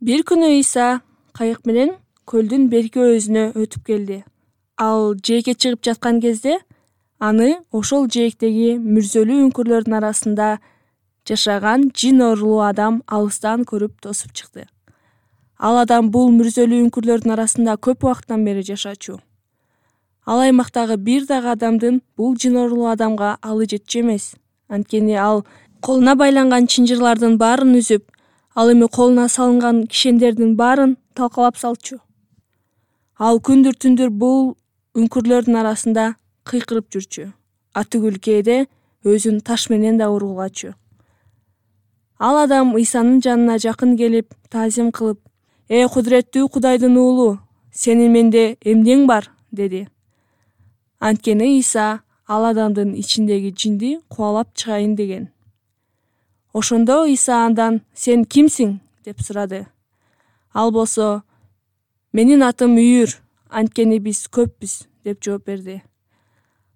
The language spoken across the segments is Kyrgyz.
Бир күнү Ыйса кайык менен көлдүн берки өзүнө өтүп келди. Ал жээкке чыгып жаткан кезде аны ошол жээктеги мүрзөлүү үңкүрлөрдүн арасында жашаган жин оорулуу адам алыстан көрүп тосуп чыкты. Ал адам бул мүрзөлүү үңкүрлөрдүн арасында көп убакыттан бери жашачу. Ал аймактагы бир дагы адамдын бул жин оорулуу адамга алы жетчү эмес. Анткени ал колуна байланган чынжырлардын баарын үзүп, ал эми колуна салынган кишендердин баарын талкалап салчу. Ал күндүр түндүр бул үңкүрлөрдүн арасында кыйкырып жүрчү. Атүгүл кээде өзүн таш менен да ургулачу. Ал адам Ыйсанын жанына жакын келип, таазим кылып: Кудуреттүү Кудайдын уулу, сенин менде эмнең бар?» деди. Анткени Ыйса ал адамдын ичиндеги жинди кубалап чыгайын деген. Ошондо Ыйса андан: «Сен кимсиң?» деп сурады. Ал болсо: «Менин атым Үйүр, анткени биз көппүз» деп жооп берди.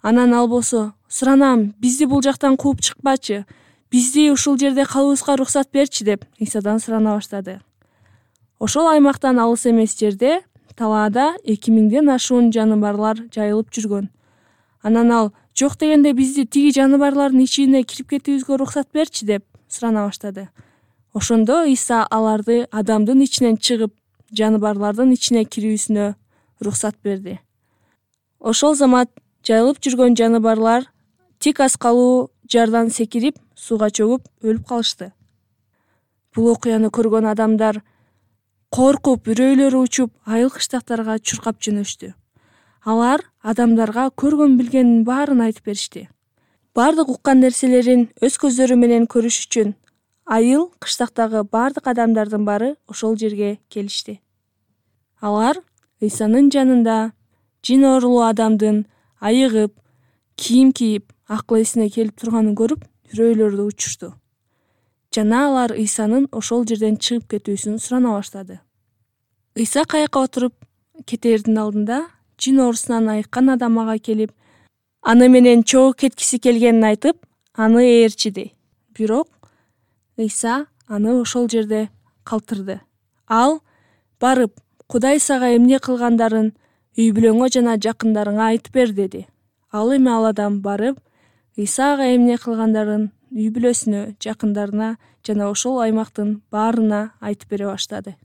Анан ал болсо: «Суранам, бизди бул жактан кууп чыкпачы, бизди ушул жерде калыбызга уруксат берчи» деп Ыйсадан сурана баштады. Ошол аймактан алыс эмес жерде талаада 2000ден ашуун жаныбарлар жайылып жүргөн. Анан ал: «Жок дегенде бизди тиги жаныбарлардын ичине кирип кетүүбүзгө уруксат берчи» деп сурана баштады. Ошондо Ыйса аларды адамдын ичинен чыгып, жаныбарлардын ичине кирүүсүнө уруксат берди. Ошол замат жайылып жүргөн жаныбарлар тик аскалуу жардан секирип, сууга чөгүп өлүп калышты. Бул окуяны көргөн адамдар коркуп, үрөйлөрү учуп, айыл кыштактарга чуркап жөнөштү. Алар адамдарга көргөн билгенин баарын айтып беришти. Бардык уккан нерселерин өз көздөрү менен көрүш үчүн айыл кыштактагы бардык адамдардын баары ошол жерге келишти. Алар Ыйсанын жанында жин оорулуу адамдын айыгып, кийим кийип, акыл эсине келип турганын көрүп, үрөйлөрү учушту. Жана алар Ыйсанын ошол жерден чыгып кетүүсүн сурана баштады. Ыйса кайыкка отуруп кетээрдин алдында жин оорусунан айыккан адам ага келип, аны менен чогуу кеткиси келгенин айтып, аны ээрчиди. Бирок Ыйса аны ошол жерде калтырды. Ал: «Барып, Кудай сага эмне кылгандарын үй бүлөңө жана жакындарыңа айтып бер» деди. Ал эми ал адам барып, Ыйса ага эмне кылгандарын үй бүлөсүнө, жакындарына жана ошол аймактын баарына айтып бере баштады.